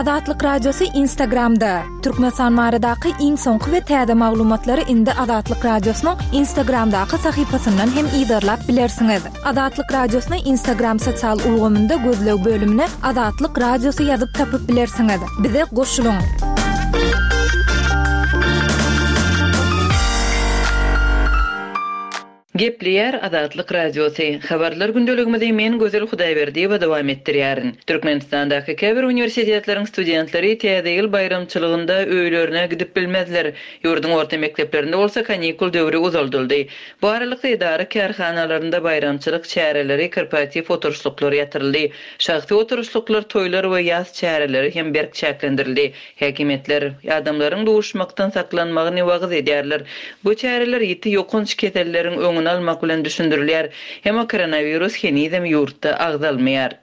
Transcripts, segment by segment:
Azatlyk Radiosy Instagramda! Türkmenistan baradaky iň soňky we täze maglumatlary indi Azatlyk Radiosynyň Instagramdaky sahypasyndan hem yzarlap bilersiňiz. Azatlyk Radiosyny Instagram sosial ulgamynda gözleg bölümine Azatlyk Radiosy ýazyp tapyp bilersiňiz. Bize goşulyň! Gepleýär Azatlyk Radiosy, Habarlar gündeligimizi men Gözel Hudaýberdiýewa dowam etdirýärin. Türkmenistandaky käbir uniwersitetleriň studentleri Täze ýyl baýramçylygynda öýlerine gidip bilmezler. Ýurduň orta mekdeplerinde bolsa kanikul döwri uzaldyldy. Bu aralykda edara-kärhanalarynda baýramçylyk çäreleri, korporatiw oturyşlyklar ýatyryldy. Şahsy oturyşlyklar, toýlar we ýas çäreleri hem berk çäklendirildi. Häkimiýetler adamlaryň duşmakdan saklanmagyny wagyz edýärler. Bu çäreler ýiti ýokanç keselleriň öňüni almak bilen düşündirilýär. Emma koronawirus henizem ýurtda agzalmaýar.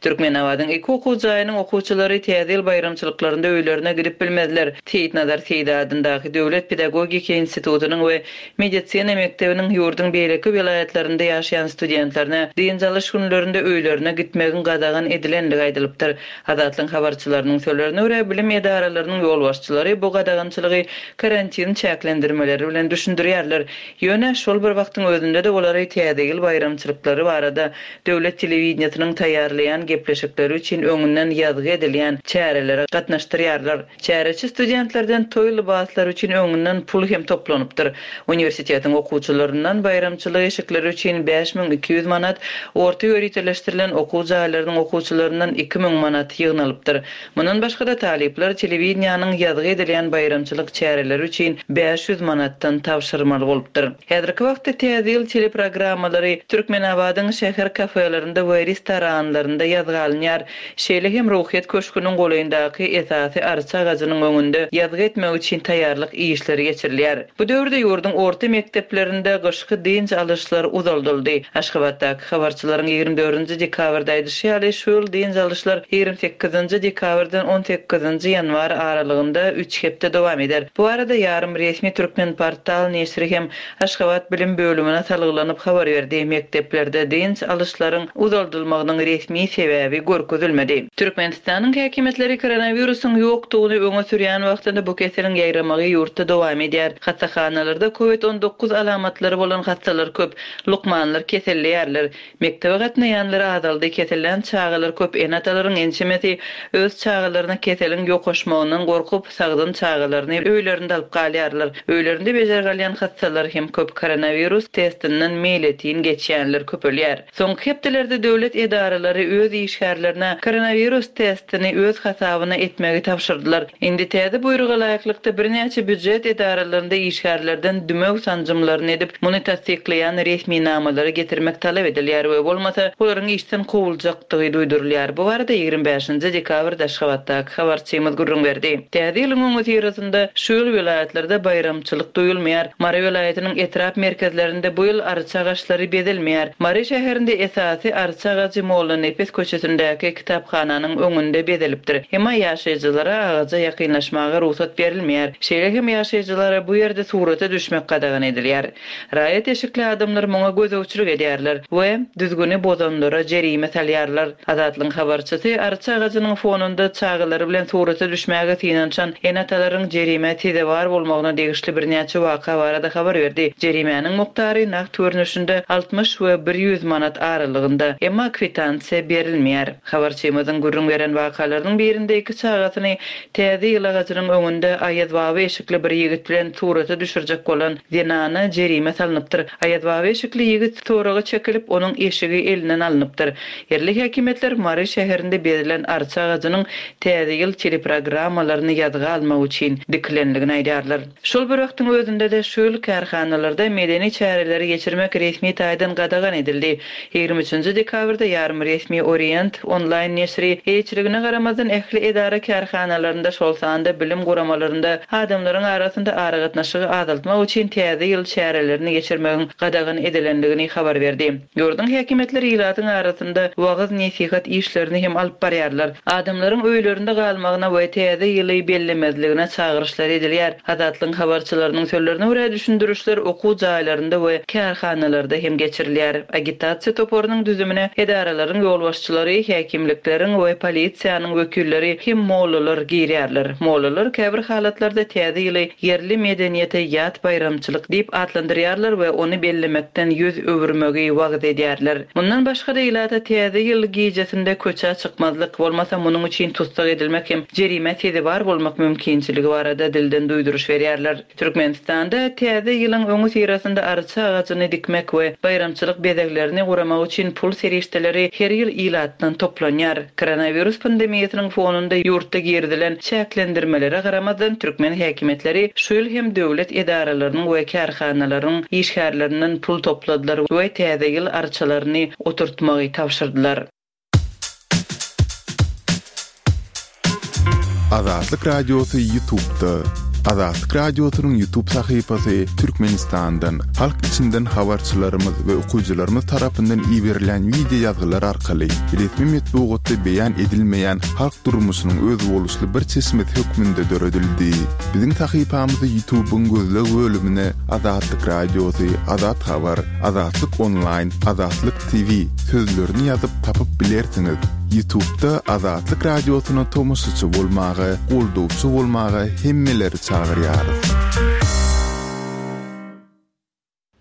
Türkmenabadyň iki okuw jaýynyň okuwçylary Täze ýyl baýramçylyklarynda öýlerine gidip bilmezler. Seýitnazar Seýdi adyndaky döwlet pedagogiki institutynyň we medisina mekdebiniň ýurduň beýleki welaýatlarynda ýaşaýan studentlerine dynç alyş günlerinde öýlerine gitmegiň gadagan edilendigi aýdylypdyr. Azatlygyň habarçylarynyň sözlerine görä, bilim edaralarynyň ýolbaşçylary bu gadagançylygy karantin çäklendirmeleri bilen düşündirýärler. Ýöne, şol bir wagtyň özünde-de olary Täze ýyl baýramçylyklary barada döwlet telewideniýesiniň taýýarlaýan gepleşikleri üçin öňünden ýazgy edilýän çärelere gatnaşdyrýarlar. Çäreçi studentlerden toý lybaslary üçin öňünden pul hem toplanypdyr. Uniwersitetiň okuwçylaryndan baýramçylyk eşikleri üçin 5200 manat, orta ýöriteleşdirilen okuw jaýlarynyň okuwçylaryndan 2000 manat ýygnalypdyr. Mundan başga-da talyplar telewideniýäniň ýazgy edilýän baýramçylyk çäreleri üçin 500 manatdan tabşyrmaly bolupdyr. Häzirki wagtda Täze ýyl teleprogrammalary Türkmenabadyň şäher kafelerinde we restoranlarynda ýazga alynýar. Şeýle hem Ruhyýet köşgüniň golaýyndaky esasy arça agajynyň öňünde ýazgy etmek üçin taýýarlyk işleri geçirilýär. Bu döwürde ýurduň orta mekdeplerinde gyşky dynç alyşlar uzaldyldy. Aşgabatdaky habarçylaryň 24-nji dekabrda aýdyşy ýaly, şu ýyl dynç alyşlar 28-nji dekabrdan 18-nji ýanwar aralygynda üç hepde dowam eder. Bu barada ýarym resmi Türkmenportal neşiri hem Aşgabat bilim bölümine salgylanyp habar berdi, mekdeplerde dynç alyşlaryň uzaldylmagynyň resmi sebäbi görkezilmedi. Türkmenistanyň häkimiýetleri koronawirusyň ýokdugyny öňe sürýän wagtynda bu keseliň ýaýramagy ýurtda dowam edýär. Hassahanalarda covid 19 alamatlary bolan hassalar köp, lukmanlar keselleýärler. Mekdebe gatnaýanlar azaldy, kesellän çagalar köp, ene-atalaryň ençemesi öz çagalaryna keseliň ýokaşmagyndan gorkup, sagdyn çagalaryny öýlerinde alyp galýarlar. Öýlerinde bejergi alýan hassalar hem köp, koronawirus testinden meýletin geçýänler köpelýär. Soňky hepdelerde döwlet edaralary öz işgärlerine koronawirus testini öz hasabyna etmegi tabşyrdylar. Indi täze buýruga laýyklykda birnäçe býujet edaralarynda işgärlerden dümew sanjymlaryny edip, muny tassyklaýan resminamalary getirmek talap edilýär we bolmasa, olaryň işden kowuljakdygy duýdurylýar. Bu barada 25-nji dekabrda Aşgabatdaky habarçymyz gürrüň berdi. Täze ýylyň öňüsyrasynda şu ýyl welaýatlarda baýramçylyk duýulmaýar. Mary welaýatynyň etrap merkezlerinde bu ýyl arça agaçlary bezelmeýär. Mary şäherinde esasy arça agajy Mollanepes köçesindäki kitaphananyň öňünde bezelipdir. Emma ýaşaýjylara agaja ýakynlaşmaga rugsat berilmeýär. Şeýle hem ýaşaýjylara bu ýerde surata düşmek gadagan edilýär. Raýat eşikli adamlar muňa gözegçilik edýärler we düzgüni bozanlara jerime salýarlar. Azatlygyň habarçysy arça agajynyň fonunda çagalary bilen surata düşmäge synanyşan ene-atalaryň jerimä sezewar bolmagyna degişli birnäçe waka barada habar berdi. Jerimäniň mukdary nagt görnüşinde 60 we 100 manat aralygynda, emma kwitansiýa berilmeýär. Habarçymyzyň gürrüň beren wakalarynyň birinde iki çagasyny Täze ýyl agajynyň öňünde Aýazbaba eşikli bir ýigit bilen surata düşürjek bolan zenana jerime salnypdyr. Aýazbaba eşikli ýigit soraga çekilip, onuň eşigi elinden alnypdyr. Ýerli häkimiýetler Mary şäherinde bezilen arça agajynyň Täze ýyl teleprogrammalaryny ýazga almak üçin dikilendigini aýdýarlar. Şol bir wagtyň özünde-de şu ýyl kärhanalarda medeni çäreleri geçirmek resmi taýdan gadagan edildi. 23-nji dekabrda ýarym resmi Orient onlaýn neşiri eýeçiligine garamazdan ähli edara-kärhanalarynda, şol sanda bilim guramalarynda adamlaryň arasynda aragatnaşygy azaltmak üçin Täze ýyl çärelerini geçirmegiň gadagan edilendigini habar berdi. Ýurduň häkimiýetleri ilatyň arasynda wagyz-nesihat işlerini hem alyp barýarlar. Adamlaryň öýlerinde galmagyna we Täze ýyly bellemezligine çagyryşlar edilýär. Azatlygyň habarçylarynyň sözlerine görä, düşündirişler okuw jaýlarynda we. we kärhanalarda hem geçirilýär. Agitasiýa toparynyň düzümine edaralaryň ýolbaşçylary, häkimlikleriň we polisiýanyň wekilleri hem mollalar girýärler. Mollalar käbir halatlarda Täze ýyly ýerli medeniýete ýat baýramçylyk diýip atlandyrýarlar we ony bellemekden ýüz öwürmegi wagyz edýärler. Mundan başga-da ilata Täze ýyl gijesinde köçä çykmazlyk, bolmasa munuň üçin tussag edilmek hem jerimä sezewar bolmak mümkinçiligi barada dilden duýduryş berýärler. Türkmenistanda Täze ýylyň öňüsyrasynda arça agajyny dikmek we baýramçylyk bezeglerini guramak üçin pul serişdeleri her ýyl ilatdan toplanýar. Koronawirus pandemiýasynyň fonunda ýurtda girizilen çäklendirmelere garamazdan, türkmen häkimiýetleri şu ýyl hem döwlet edaralarynyň we kärhanalaryň işgärlerinden pul topladylar we Täze ýyl arçalaryny oturtmagy tabşyrdylar. Azatlyk Radiosy Ýutubda. Azatlyk Radiosynyň Ýutub sahypasy Türkmenistandan, halk içinden habarçylarymyz we okyjylarymyz tarapyndan iberilýän wideo ýazgylar arkaly resmi metbugatda beýan edilmeýän halk durmuşynyň özboluşly bir çeşmesi hökmünde döredildi. Biziň sahypamyzy Ýutubyň gözleg bölümine Azatlyk Radiosy, Azat Habar, Azatlyk Onlaýn, Azatlyk TV sözlerini ýazyp tapyp bilersiňiz. Ýutubda Azatlyk Radiosyna tomaşaçy bolmaga, goldawçy bolmaga hemmeleri çagyrýarys.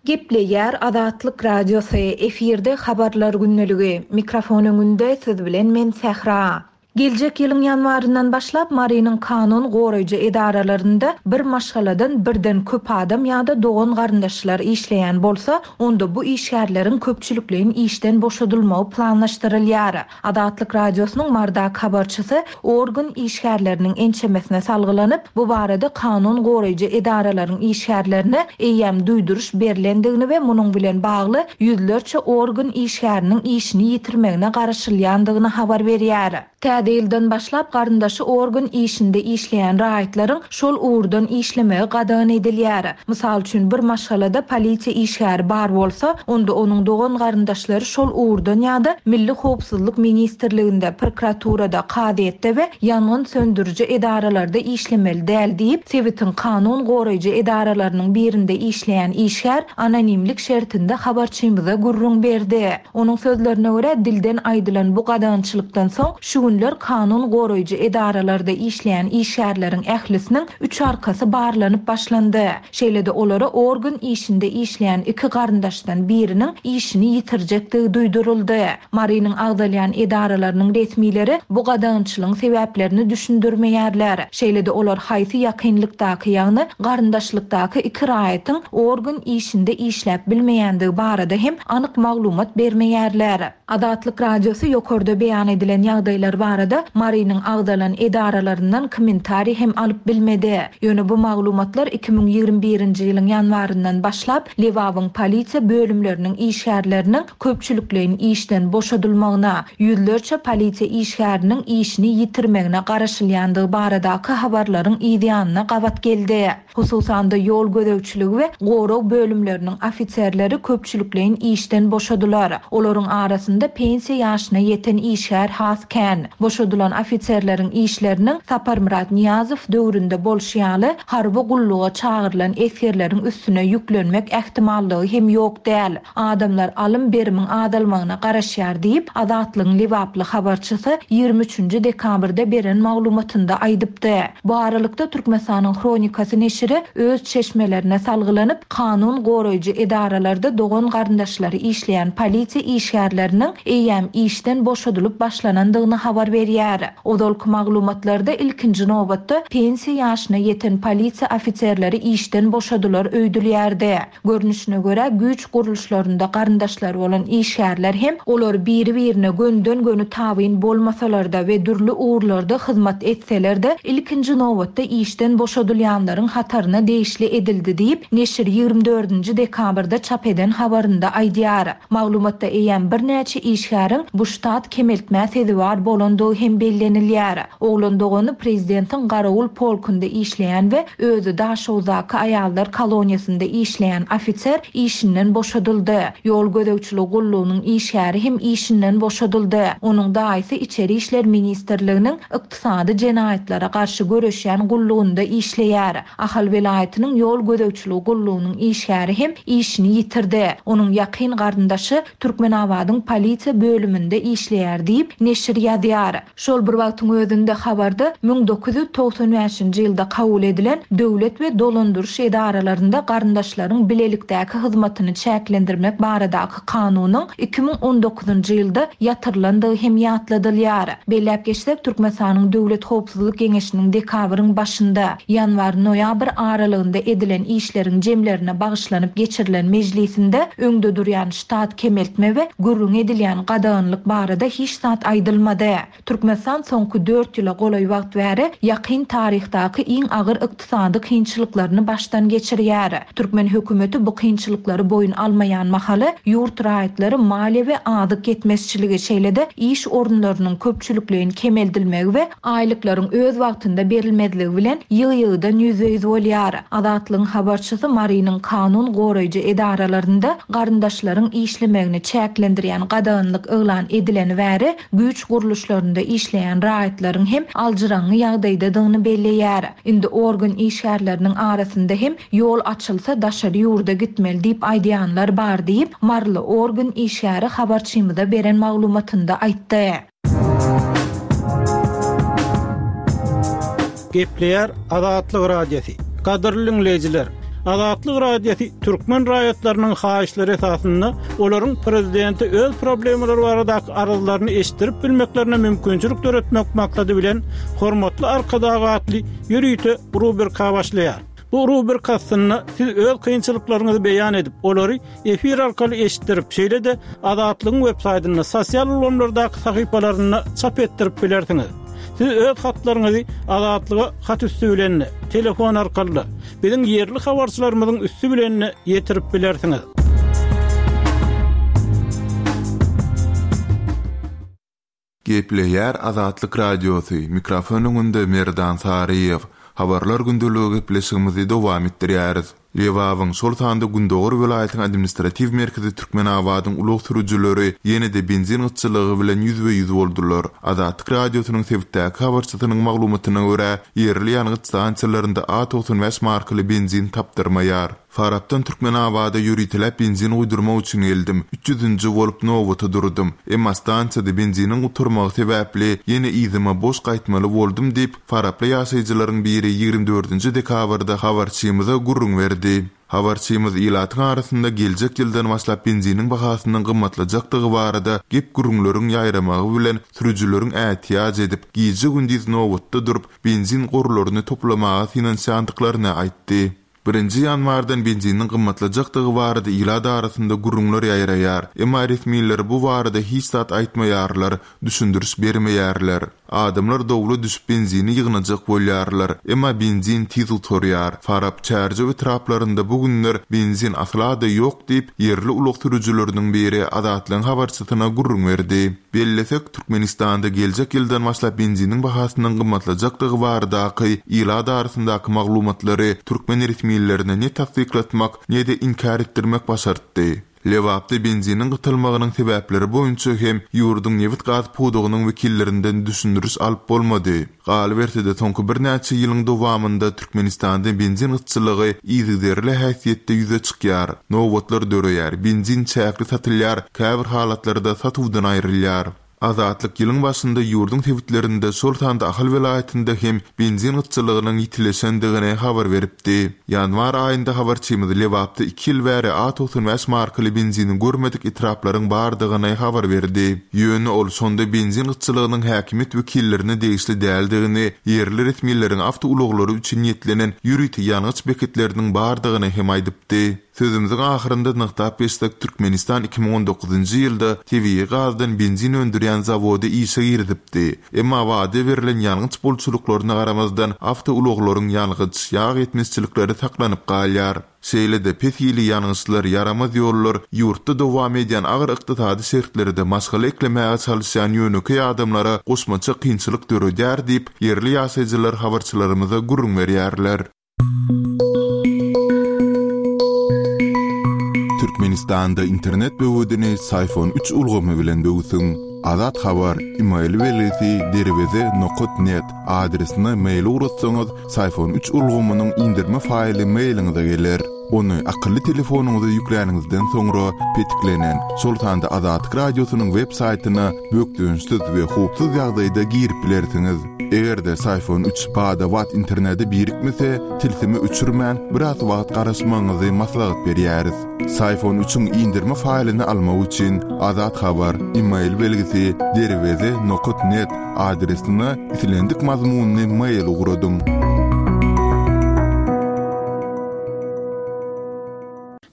Gepleýär Azatlyk Radiosy, efirde Habarlar gündeligi, mikrofon öňünde siz bilen men Sähra. Geljek ýylyň ýanwaryndan başlap Marynyň kanun goraýjy edaralarynda bir maşgaladan birden köp adam ýa-da dogan-garyndaşlar işleýän bolsa, onda bu işgärleriň köpçülikleýin işden boşadylmagy planlaşdyrylýar. Azatlyk Radiosynyň Marydaky habarçysy organ işgärleriniň ençemesine salgylanyp, bu barada kanun goraýjy edaralaryň işgärlerine eýýäm duýduryş berlendigini we munuň bilen bagly ýüzlerçe organ işgäriniň işini ýitirmegine garaşylýandygyny habar berýär. Täze ýyldan başlap garyndaşy organ işinde işleýän raýatlaryň şol ugurdan işlemegi gadagan edilýär. Mysal üçin, bir maşgalada polisiýa işgäri bar bolsa, onda onuň dogan-garyndaşlary şol ugurdan ýa-da Milli howpsuzlyk ministrliginde, prokuraturada, kazyýetde we ýangyn söndüriji edaralarda işlemeli däl diýip, sebitiň kanun goraýjy edaralarynyň birinde işleýän işgär anonimlik şertinde habarçymyza gürrüň berdi. Onuň sözlerine görä, dilden aýdylan bu gadagançylykdan soň, şu günler kanun goraýjy edaralarda işleýän işgärleriň ählisiniň üç arkasy barlanyp başlandy. Şeýle-de olara organ işinde işleýän iki garyndaşdan biriniň işini ýitirjekdigi duýduryldy. Marynyň agzalýan edaralarynyň resmileri bu gadagançylygyň sebäplerini düşündirmeýärler. Şeýle-de olar haýsy ýakynlykdaky, ýagny garyndaşlykdaky iki raýatyň organ işinde işläp bilmeýändigi barada hem anyk maglumat bermeýärler. Azatlyk Radiosy ýokarda beýan edilen ýagdaýlar barada Marynyň agzalan edaralaryndan kommentariý hem alyp bilmedi. Ýöne bu maglumatlar 2021-nji ýylyň ýanwaryndan başlap Lebabyň polisiýa bölümleriniň işgärleriniň köpçülikleýin işden boşadylmagyna, ýüzlerçe polisiýa işgäriniň işini ýitirmegine garaşylýandygy baradaky habarlaryň yzýanyna gabat geldi. Hususan-da, ýol gözegçiligi we gorag bölümleriniň ofiserleri köpçülikleýin işden boşadylar. Olaryň arasynda pensiýa ýaşyna ýeten işgär has kän. Boşadylan ofiserleriň işleriniň Saparmyrat Nyýazow döwründe bolşy ýaly, harby gulluga çagyrylan esgerleriň üstüne ýüklenmek ähtimallygy hem ýok däl. Adamlar alym-berimiň azalmagyna garaşýar diýip, Azatlygyň lebaply habarçysy 23 nji dekabrda beren maglumatynda aýdypdy. Bu aralykda, Türkmenistanyň Hronikasy neşiri öz çeşmelerine salgylanyp, kanun goraýjy edaralarda dogan-garyndaşlary işleýän polisiýa işgärleriniň eýýäm işden boşadylyp başlanandygyny habar berýär. Ozalky maglumatlarda ilkinji nobatda pensiýa ýaşyna ýeten polisiýa ofiserleri işden boşadylar öýdülýärdi. Görnüşine görä, güýç gurluşlarynda garyndaşlary bolan işgärler hem, olar biri-birine gönüden-göni tabyn bolmasalar-da we dürli ugurlarda hyzmat etseler-de, ilkinji nobatda işden boşadylýanlaryň hataryna degişli edildi diýip, neşir 24 nji dekabrda çap eden habarynda aýdýar. Maglumatda eýýäm birnäçe işgäriň bu ştat kemeltmä sezewar bolandygy. bolandygy hem bellenilýär. Oglan dogany prezidentiň garawul polkunda işleýän we özi Daşoguzdaky aýallar koloniýasynda işleýän ofiser işinden boşadyldy. Ýol gözegçiligi gullugynyň işgäri hem işinden boşadyldy. Onuň daýysy Içeri işler ministrliginiň Ykdysady jenaýatlara garşy göreşýän gullugynda işleýär. Ahal welaýatynyň ýol gözegçiligi gullugynyň işgäri hem işini ýitirdi. Onuň ýakyn garyndaşy Türkmenabadyň polisiýa bölüminde işleýär diýip, neşir ýazýar. Şol bir wagtyň özünde habarda 1995-nji ýylda kabul edilen Döwlet we dolandyryş edaralarynda garyndaşlaryň bilelikdäki hyzmatyny çäklendirmek baradaky kanunyň 2019-njy ýylda ýatyrylandygy hem ýatladylýar. Belläp geçsek, Türkmenistanyň Döwlet howpsuzlyk geňeşiniň dekabryň başynda, ýanwar-noýabr aralygynda edilen işleriň jemlerine bagyşlanyp geçirilen mejlisinde öňde durýan ştat kemeltme we gürrüňi edilýän gadaganlyk barada hiç zat aýdylmady. Türkmenistan soňky dört ýyla golaý wagt bäri ýakyn taryhdaky iň agyr ykdysady kynçylyklaryny başdan geçirýär. Türkmen hökümeti bu kynçylyklary boýun almaýan mahaly, ýurt raýatlary maliýe we azyk ýetmezçiligi, şeýle-de iş orunlarynyň köpçülikleýin kemeldilmegi we aýlyklaryň öz wagtynda berilmezligi bilen ýygy-ýygydan ýüzbe-ýüz bolýar. Azatlygyň habarçysy Marynyň kanun goraýjy edaralarynda garyndaşlaryň işlemegini çäklendirýän gadaganlyk yglan edileni bäri güýç gurluşlarynda işleýän raýatlaryň hem aljyraňňy ýagdaýdadygyny belleýär. Indi organ işgärleriniň arasynda hem ýol açylsa daşary ýurda gitmeli diýip aýdýanlar bar diýip, maryly organ işgäri habarçymyza beren maglumatynda aýtdy. Gepleýär Azatlyk Radiosy. Gadyrly diňleýjiler! Azatlyk Radiosy türkmen raýatlarynyň haýyşlary esasynda olaryň prezidente öz problemalary baradaky arzlaryny eşitdirip bilmeklerine mümkinçilik döretmek maksady bilen Hormatly Arkadag atly ýörite rubrika başlaýar. Bu rubrika astynda siz öz kynçylyklaryňyzy beýan edip, olary efir arkaly eşitdirip, şeýle-de Azatlygyň websaýtynda, sosial ulgamlardaky sahypalarynda çap etdirip bilersiňiz. Siz öz hatlaryňyzy Azatlyga hat üsti bilen-de, telefon arkaly-da, biziň ýerli habarçylarymyzyň üsti bilen-de ýetirip bilersiňiz. Gepleýär Azatlyk Radiosy, mikrofon öňünde Merdan Saryýew. Habarlar gündeligi gepleşigimizi dowam etdirýäris. Lebabyň, şol sanda gündogar welaýatyň administratiw merkezi Türkmenabadyň ulag sürüjileri ýene-de benzin gytçylygy bilen ýüzbe-ýüz boldular. Azatlyk Radiosynyň sebitdäki habarçysynyň maglumatyna görä, ýerli ýangyç stansiýalarynda A 95 markaly benzin tapdyrmaýar. Farapdan Türkmenabada ýöriteläp benzin guýdurmak üçin geldim. Üç ýüzünji bolup nobata durdum. Emma stansiýada benziniň gutarmagy sebäpli ýene yzyma boş gaýtmaly boldum diýip, faraply ýaşaýjylaryň biri ýigrimi dördünji dekabrda habarçymyza gürrüň berdi. Habarçymyz ilatyň arasynda geljek ýyldan başlap benziniň bahasynyň gymmatlajakdygy barada gep-gürrüňleriň ýaýramagy bilen sürüjileriň ätiýaç edip, gije-gündiz nobatda durup, benzin gorlaryny toplamaga synanyşýandyklaryny aýtdy. Birinji ýanwardan benziniň gymmatlajakdygy barada ilat arasynda gürrüňler ýaýraýar. Emma resmiler bu barada hiç zat aýtmaýarlar, düşündiriş bermeýärler. Adamlar dowla düşüp benzini ýygnajak bolýarlar. Emma benzin tiz gutarýar. Farap, Çärjew etraplarynda bu günler benzin asla-da ýok diýip, ýerli ulag sürüjileriniň biri Azatlygyň habarçysyna gürrüň berdi. Bellesek, Türkmenistanda geljek ýyldan başlap benziniň bahasynyň gymmatlajakdygy baradaky ilat arasyndaky maglumatlary türkmen resmilerine ne tassyklatmak, ne-de inkär etdirmek başartdy. Lebapda benziniň gytalmagynyň sebäpleri boýunça hem ýurduň nebit-gaz pudagynyň wekillerinden düşündiriş alyp bolmady. Galyberse-de, soňky birnäçe ýylyň dowamynda Türkmenistanda benzin gytçylygy yzygiderli häsiýetde ýüze çykýar. Nobatlar döreýär, benzin çäkli satylýar, käbir halatlarda satuwdan aýrylýar. Azatlyk ýylyň başynda ýurduň sebitlerinde, şol sanda Ahal welaýatynda hem benzin gytçylygynyň ýitileşendigini habar beripdi. Ýanwar aýynda habarçymyz Lebapda iki ýyl bäri A 95 markaly benzini görmedik etraplaryň bardygyny habar berdi. Ýöne ol şonda benzin gytçylygynyň häkimiýet wekillerine degişli däldigini, ýerli resmileriň awtoulaglary üçin niýetlenen ýörite ýangyç beketleriniň bardygyny hem aýdypdy. Sözümiziň ahyrynda nygtap geçsek, Türkmenistan 2019-njy ýylda tebigy gazdan benzin öndürýän zawody işe girizipdi. Emma wada berlen ýangyç bolçulyklaryna garamazdan, awtoulaglaryň ýangyç, ýag ýetmezçilikleri saklanyp galýar. Şeýle-de, pes hili ýangyçlar, ýaramaz ýollar ýurtda dowam edýän agyr ykdysady şertlerde maşgala eklemäge çalyşýan ýönekeý adamlara goşmaça kynçylyk döredýär diýip, ýerli ýaşaýjylar habarçylarymyza gürrüň berýärler. Türkmenistanda internet böwedini Syfon üç ulgamy bilen böwsüň. Azat Habar, email belgisi derweze nokat net adresine mail ugratsaňyz, Syfon üç ulgamynyň indirme faýly mailiňize geler. Ony akylly telefonyňyza ýükläniňizden soňra petiklenen, şol sanda Azatlyk Radiosynyň web saýtyna bökdençsiz we howpsuz ýagdaýda girip bilersiňiz. Eger-de Syfon üç bada-bat internete birikmese, tilsimi öçürmän, biraz wagt garaşmagyňyzy maslahat berýäris. Syfon üçiň indirme faýlyny almak üçin Azat Habar, email belgisi, derweze nokat net adresine islendik mazmunly mail ugradyň.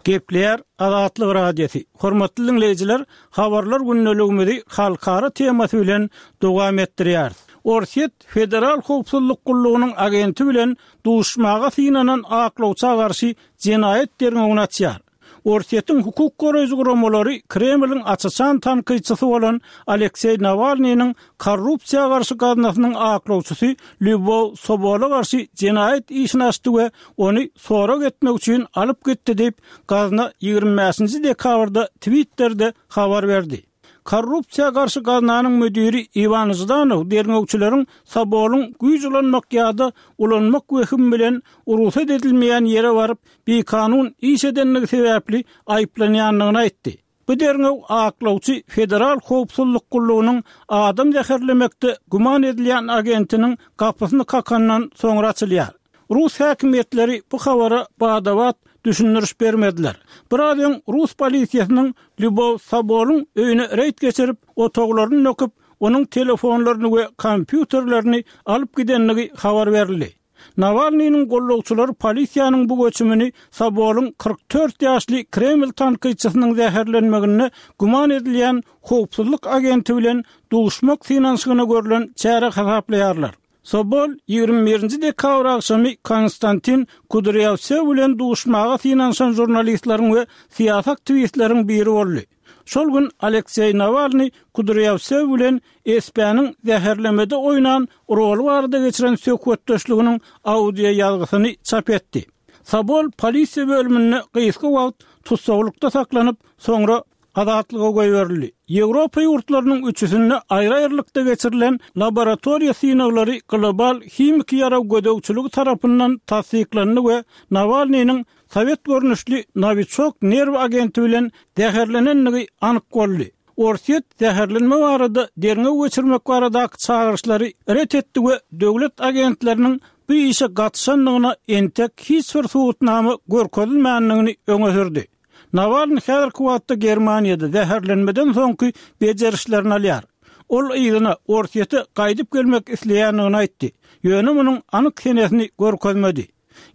Gepleýär Azatlyk Radiosy. Hormatly diňleýjiler, habarlar gündeligimizi halkara temasy bilen dowam etdirýäris. Orsýet Federal howpsuzlyk gullugynyň agenti bilen duşmaga synanan aklawça garşy jenaýat derňewini açýar. Orsýetiň hukuk goraýjy guramalary Kremliň aç-açan tankytçysy bolan Alekseý Nawalnynyň korrupsiýa garşy gaznasynyň aklawçysy Lýubow Sobola garşy jenaýat işini açdy we ony sorag etmek üçin alyp gitdi diýip, gazna 25-nji dekabrda Twitterde habar berdi. Korrupsiýa garşy gaznanyň müdiri Iwan Ždanow derňewçileriň Sobolyň güýç ulanmak ýa-da ulanmak wehimi bilen rugsat edilmeýän ýere baryp, bikanun iş edendigi sebäpli aýyplanýandygyny aýtdy. Bu derňew aklawçy Federal howpsuzlyk gullugynyň adam zäherlemekde güman edilýän agentiniň gapysyny kakandan soňra açylýar. Rus häkimiýetleri bu habara bada-bat düşündiriş bermediler. Biraz öň rus polisiýasynyň Lýubow Sobolyň öýüne reýd geçirip, otaglaryny döküp, onuň telefonlaryny we kompýuterlerini alyp gidendigi habar berildi. Nawalnynyň gullukçylary polisiýanyň bu göçümini Sobolyň 44 ýaşly Kreml tankytçysynyň zäherlenmeginde güman edilýän howpsuzlyk agenti bilen duşmak synanyşygyna görlen çäre hasaplaýarlar. Sobol 21-nji dekabr agşamy Konstantin Kudrýawsew bilen duşmaga synanyşan žurnalistleriň we syýasy aktiwistleriň biri boldy. Şol gün Alekseý Nawalnyý Kudrýawsew bilen SP-niň zäherlemede oýnan roly barada geçiren söhbetdeşliginiň audioýazgysyny çap etdi. Sobol polisiýa bölüminde gysga wagt tussaglykda saklanyp, soňra azatlyga goýberildi. Ýewropa ýurtlarynyň üçüsinde aýry-aýrylykda geçirilen laboratoriýa synaglary global himiki ýarag gözegçiligi tarapyndan tassyklandy we Nawalnynyň sowet görnüşli Nowiçok nerw agenti bilen zäherlenendigi anyk boldy. Orsýet zäherlenme barada derňew geçirmek baradaky çagyryşlary ret etdi we döwlet agentleriniň bu işe gatyşandygyna entek hiç bir subutnama görkezilmändigini öňe sürdi. Nawalnyý häzirki wagtda Germaniýada zäherlenmeden soňky bejerişlerini alýar. Ol yzyna, Orsýete gaýdyp gelmek isleýändigini aýtdy, ýöne munuň anyk senesini görkezmedi.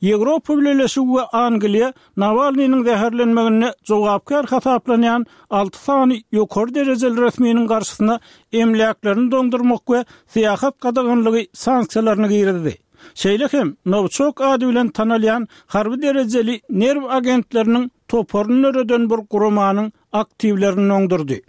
Ýewropa Bileleşigi we Angliýa Nawalnynyň zäherlenmeginde jogapkär hasaplanýan alty sany ýokary derejeli resminiň garşysyna emläklerini doňdurmak we syýahat gadaganlygy sanksiýalaryny girizdi. Şeýle hem Nowiçok ady bilen tanalýan harby derejeli nerw agentleriniň toparyny döreden bir guramanyň aktiwlerini doňdurdy.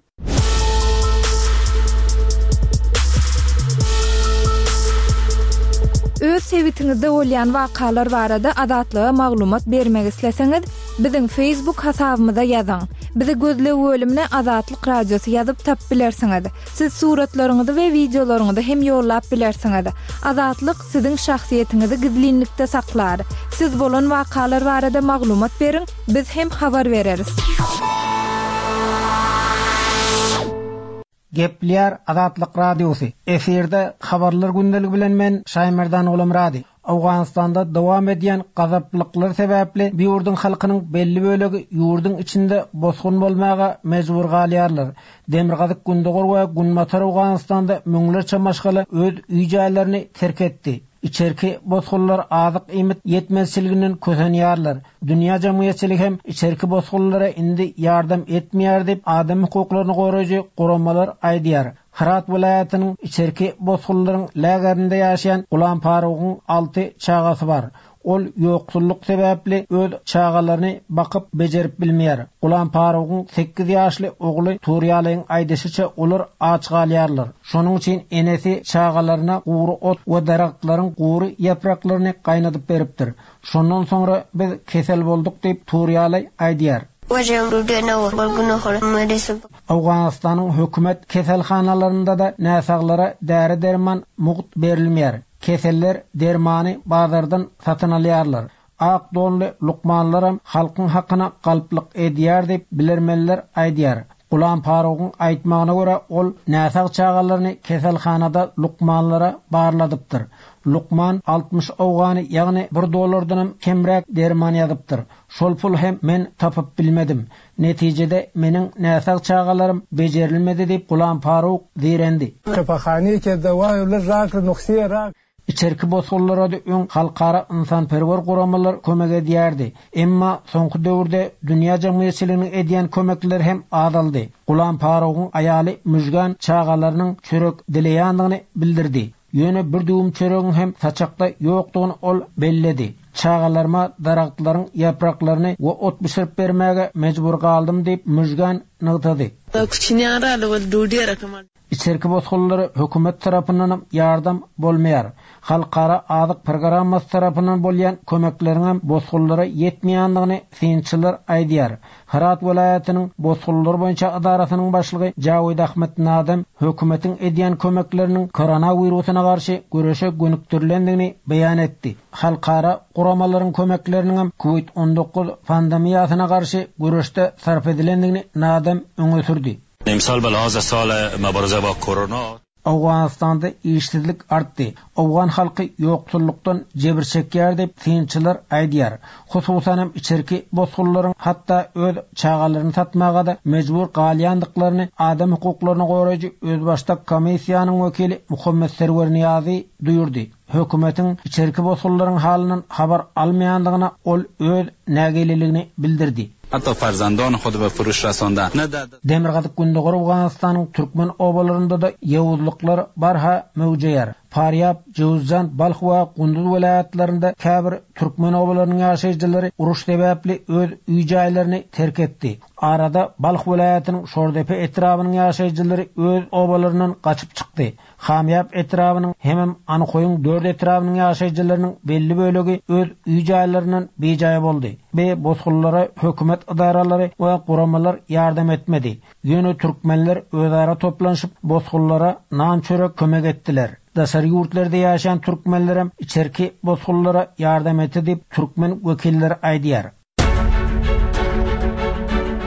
Öz sebitiňizde bolýan wakalar barada Azatlyga maglumat bermek isleseňiz, biziň Facebook hasabymyza ýazyň. Bizi gözleg bölümine Azatlyk Radiosy ýazyp tapyp bilersiňiz. Siz suratlaryňyzy we wideolaryňyzy hem ýollap bilersiňiz. Azatlyk siziň şahsyýetiňizi gizlinlikde saklar. Siz bolan wakalar barada maglumat beriň, biz hem habar bereris. Gepleýär Azatlyk Radiosy, efirde Habarlar gündeligi bilen men Şaýmerdan Gulamyrady. Owganystanda dowam edýän gazaplyklar sebäpli bu ýurduň halkynyň belli bölegi ýurduň içinde bosgun bolmaga mejbur galýarlar. Demirgazyk-gündogar we Günbatar Owganystanda müňlerçe maşgala öz öý-jaýlaryny terk etdi. Içerki bosgunlar azyk-iýmit ýetmezçiliginden kösenýärler. Dünýä jemgyýetçiligi hem içerki bosgunlara indi ýardam etmeýär diýip, adam hukuklaryny goraýjy guramalar aýdýar. Hyrat welaýatynyň içerki bosgunlaryň lagerinde ýaşaýan Gulam Farugyň alty çagasy bar. Ol ýoksullyk sebäpli öz çagalaryny bakyp bejerip bilmeýär. Gulam Farugyň sekiz ýaşly ogly Turýalyň aýdyşyça olar aç galýarlar. Şonuň üçin enesi çagalaryna gury ot we daragtlaryň gury ýapraklaryny gaýnadyp beripdir. Şondan soňra biz kesel bolduk diýip Turýaly aýdýar. Owganystanyň hökümet keselhanalarynda-da näsaglara däri-derman mugt berilmeýär. Keseller dermany bazardan satyn alýarlar. Ak donly lukmanlaram halkyň hakyna galplyk edýär diýip, bilermenler aýdýar. Gulam Farugyň aýtmagyna görä, ol näsag çagalaryny keselhanada lukmanlara barladypdyr. Lukman 60 owgany, ýagny bir dollardanam kemräk derman ýazypdyr. Şol pul hem men tapyp bilmedim. Netijede meniň näsag çagalarym bejerilmedi diýip, Gulam Faruk zeýrendi. Içerki bosgunlara-da öň halkara ynsanperwer guramalar kömek edýärdi. Emma soňky döwürde dünýä jemgyýetçiliginiň edýän kömekleri hem azaldy. Gulam Farugyň aýaly Müjgan çagalarynyň çörek dileýändigini bildirdi. Ýöne bir düwüm çöregiň hem saçakda ýokdugyny ol belledi. Çagalaryma daragtlaryň ýapraklaryny we ot bişirip bermäge mejbur galdym diýip, Müjgan nygtady. Içerki bosgunlara hökümet tarapyndanam ýardam bolmaýar. Halkara azyk programmasy tarapyndan bolýan kömekleriňem bosgunlara ýetmeýändigini synçylar aýdýar. Hyrat welaýatynyň bosgunlar boýunça edarasynyň başlygy Jawid Ahmed Nadem hökümetiň edýän kömekleriniň koronawirusyna garşy göreşe gönükdirilendigini beýan etdi. Halkara guramalaryň kömekleriniňem Kowid 19 pandemiýasyna garşy göreşde sarp edilendigini Nadem öňe sürdi. Emsal be lihaze sale mebarize ba korona. Owganystanda işsizlik artdy. Owgan halky ýoksullykdan jebir çekýär diýip, synçylar aýdýar. Hususan hem içerki bosgunlaryň hatda öz çagalaryny satmaga-da mejbur galýandyklaryny adam hukuklaryny goraýjy özbaşdak komissiýanyň wekili Muhammet Serwer Nyýazy duýurdy. Hökümetiň içerki bosgunlaryň halyndan habar almaýandygyna ol öz nägileligini bildirdi. Hatda farzandony hud be furuş rasonda ne der. Demirgazyk-gündogar Owganystanyň türkmen obalarynda-da ýowuzlyklar barha möwjeýär. Farýab, Jöwüzjan, Balh we Gunduz welaýatlarynda käbir türkmen obalarynyň ýaşaýjylary uruş sebäpli öz öý-jaýlaryny terk etdi. Arada Balh welaýatynyň Şordepe etrabynyň ýaşaýjylary öz obalaryndan gaçyp çykdy. Hamýap etrabynyň hemem Anhoýyň dört etrabynyň ýaşaýjylarynyň belli bölegi öz öý-jaýlaryndan bijaý boldy. Bi bosgunlara hökümet ydaralary we guramalar ýardam etmedi. Ýöne türkmenler özara toplanyşyp bosgunlara nan-çörek kömek etdiler. Daşary ýurtlarda ýaşaýan türkmenlerem içerki bosgunlara ýardam etdi diýip türkmen wekilleri aýdýar.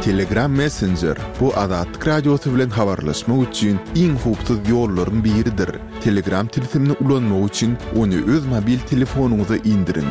Telegram Messenger, bu Azatlyk Radiosy bilen habarlaşmak üçin iň howpsuz ýollaryň biridir. Telegram tilsimini ulanmak üçin ony öz mobil telefonyňyza indiriň.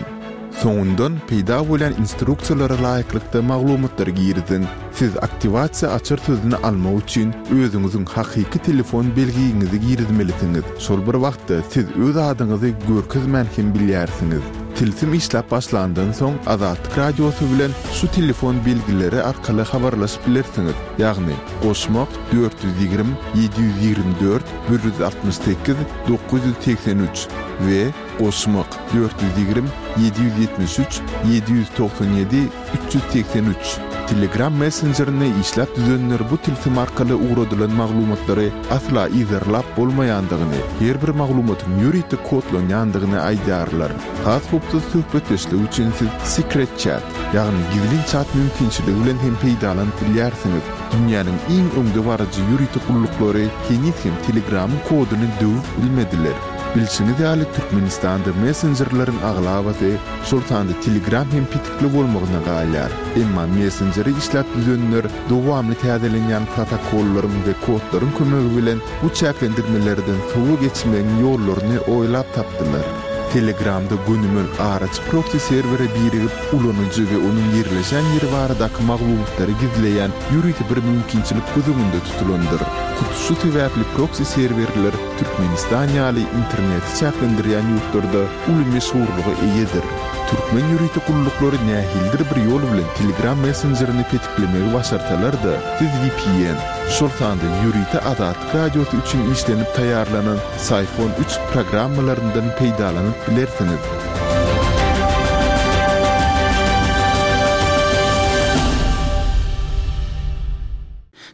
Soňundan peýda bolýan instruksiýalara laýyklykda maglumatlary giriziň. Siz aktiwasiýa açar sözüni almak üçin özüňiziň hakyky telefon belgiňizi girizmelisiňiz. Şol bir wagtda siz öz adyňyzy görkezmän hem bilýärsiňiz. Tilsim işläp başlandan soň Azatlyk Radiosy bilen şu telefon belgileri arkaly habarlaşyp bilersiňiz, ýagny, goşmak, 420 724 168 983 we goşmak, 420 773 797 383. Telegram messenjerini işläp düzenler bu tilsim arkaly ugradylan maglumatlary asla yzarlap bolmaýandygyny, her bir maglumatyň ýörite kodlanýandygyny aýdýarlar. Has howpsuz söhbetdeşlik üçin siz Secret Chat, ýagny gizlin çat mümkinçiligi bilen hem peýdalanyp bilýärsiňiz. Dünýäniň iň öňdebaryjy ýörite gulluklary heniz hem Telegramyň koduny döwüp bilmediler. Bilşiňiz ýaly, Türkmenistanda messenjerleriň aglabasy, şol sanda Telegram hem petikli bolmagyna galýar. Emma messenjeri işläp düzenler dowamly täzelenýän protokollaryň we kodlaryň kömegi bilen bu çäklendirmelerden sowa geçmegiň ýollaryny oýlap tapdylar. Telegramda gönümel araçy proksi serwere birigip, ulanyjy we onuň ýerleşen ýeri baradaky maglumatlary gizleýän ýörite bir mümkinçilik göz öňünde tutulandyr. Hut şu sebäpli proksi serwerler Türkmenistan ýaly interneti çäklendirýän ýurtlarda uly meşhurlyga eýedir. Türkmen ýörite gulluklary nähilidir bir ýol bilen Telegram messenjerini petiklemegi başarsalar-da, siz vpn, şol sanda ýörite Azatlyk Radiosy üçin işlenip taýýarlanan Syphon üç programmalaryndan peýdalanyp bilersiňiz.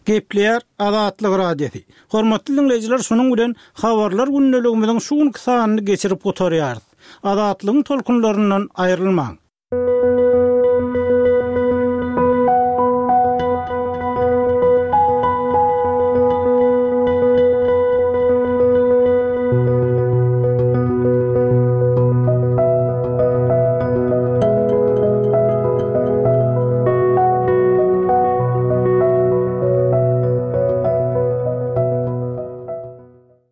Gepleýär Azatlyk Radiosy. Hormatly diňleýjiler şunuň bilen Habarlar gündeligimiziň şu günki sanyny geçirip gutarýarys. Azatlygyň tolkunlaryndan aýrylmaň.